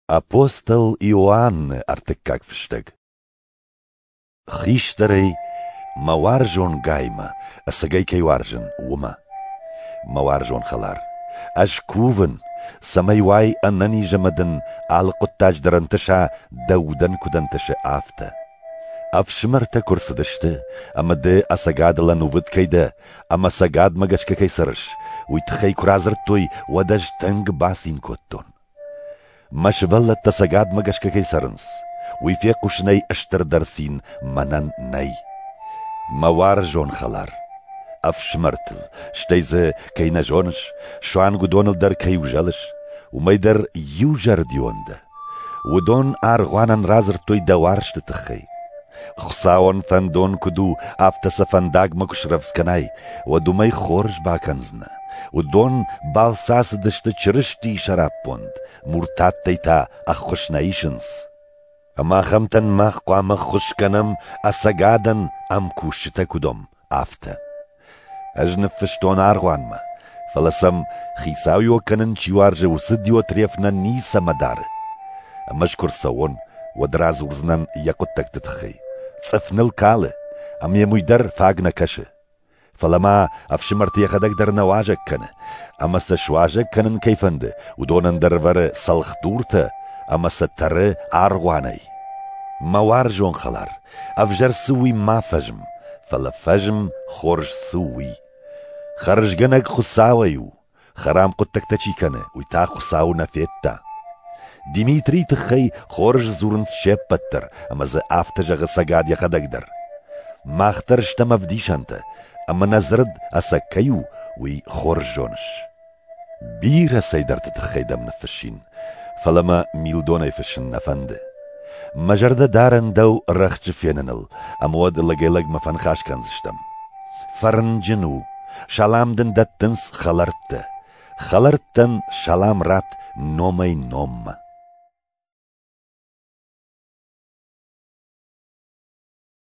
Апостол Иоанны ӕртыккаг фыстӕг. Хистӕрӕй мӕ уарзон Гаймӕ, ӕцӕгӕй кӕй уарзын, уымӕ. Мӕ уарзон хӕлар, ӕз кувын, цӕмӕй уай ӕнӕниз ӕмӕ дын алы хъуыддаджы дӕр ӕнтыса, дӕ удӕн куыд ӕнтысы, афтӕ. Ӕфсымӕртӕ куы рцыдысты, ӕмӕ ды ӕцӕгадыл ӕнувыд кӕй дӕ ӕмӕ ӕцӕгадмӕ гӕсгӕ кӕй цӕрыс, уый тыххӕй куы радзырдтой, уӕд ӕз тынг бацин кодтон. Мӕ сывӕллӕттӕ ӕцӕгадмӕ гӕсгӕ кӕй цӕрынц, уый фехъусынӕй стырдӕр цин мӕнӕн нӕй. Мӕ уарзон хӕлар, ӕфсымӕртыл, стӕй дзы кӕй нӕ зоныс, суанг уыдоныл дӕр кӕй узӕлыс, уымӕй дӕр иузӕрдион дӕ. Уыдон аргъуанӕн радзырдтой дӕ уарзты тыххӕй. Хуыцауӕн фӕндон куыд у, афтӕ сӕ фӕндагмӕ куы срӕвдз кӕнай, уӕд уымӕй хорз бакӕндзынӕ. Уыдон балцы ацыдысты Чырыстийы сӕраппонд, муртаттӕй та ӕххуыс нӕ исынц. Ӕмӕ ахӕмтӕн мах хъуамӕ ӕххуыс кӕнӕм, ӕцӕгадӕн ӕмкусджытӕ куыд уӕм, афтӕ. Ӕз ныффыстон аргъуанмӕ, фӕлӕ сӕм хицауиуӕг кӕнын чи уарзы, уыцы Диотреф нӕ ницӕмӕ дары. Ӕмӕ ӕз куы рцӕуон, уӕд радзурдзынӕн йӕ хъуыддӕгты тыххӕй. Цъыф ныл калы, ӕмӕ йӕм уый дӕр фаг нӕ кӕсы. Фӕлӕ ма ӕфсымӕрты йӕхӕдӕг дӕр нӕ уазӕг кӕны, ӕмӕ сӕ суазӕг кӕнын кӕй фӕнды, уыдонӕн дӕр ӕвӕры цӕлхдуртӕ ӕмӕ сӕ тӕры аргъуанӕй. Мӕ уарзон хӕлар, ӕвзӕр цы у, уый ма фӕзм, фӕлӕ фӕзм, хорз цы у, уый. Хӕрзгӕнӕг Хуыцауӕй у, хӕрам хъуыддӕгтӕ чи кӕны, уый та Хуыцауы нӕ федта. Димитрийы тыххӕй хорз дзурынц се ппӕт дӕр, ӕмӕ дзы афтӕ зӕгъы ӕцӕгад йӕхӕдӕг дӕр. Мах дӕр стӕм ӕвдисӕнтӕ, ӕмӕ нӕ дзырд ӕцӕг кӕй у, уый хорз зоныс. Бирӕ цӕйдӕрты тыххӕй дӕм ныффыссин, фӕлӕ мӕ милдонӕй фыссын нӕ фӕнды. Мӕ зӕрдӕ дарын дӕу рӕхджы феныныл, ӕмӕ уӕд лӕгӕй-лӕгмӕ фӕныхас кӕндзыстӕм. Фӕрнджын у, салам дын дӕттынц хӕлӕрттӕ. Хӕлӕрттӕн салам ратт номӕй-номмӕ.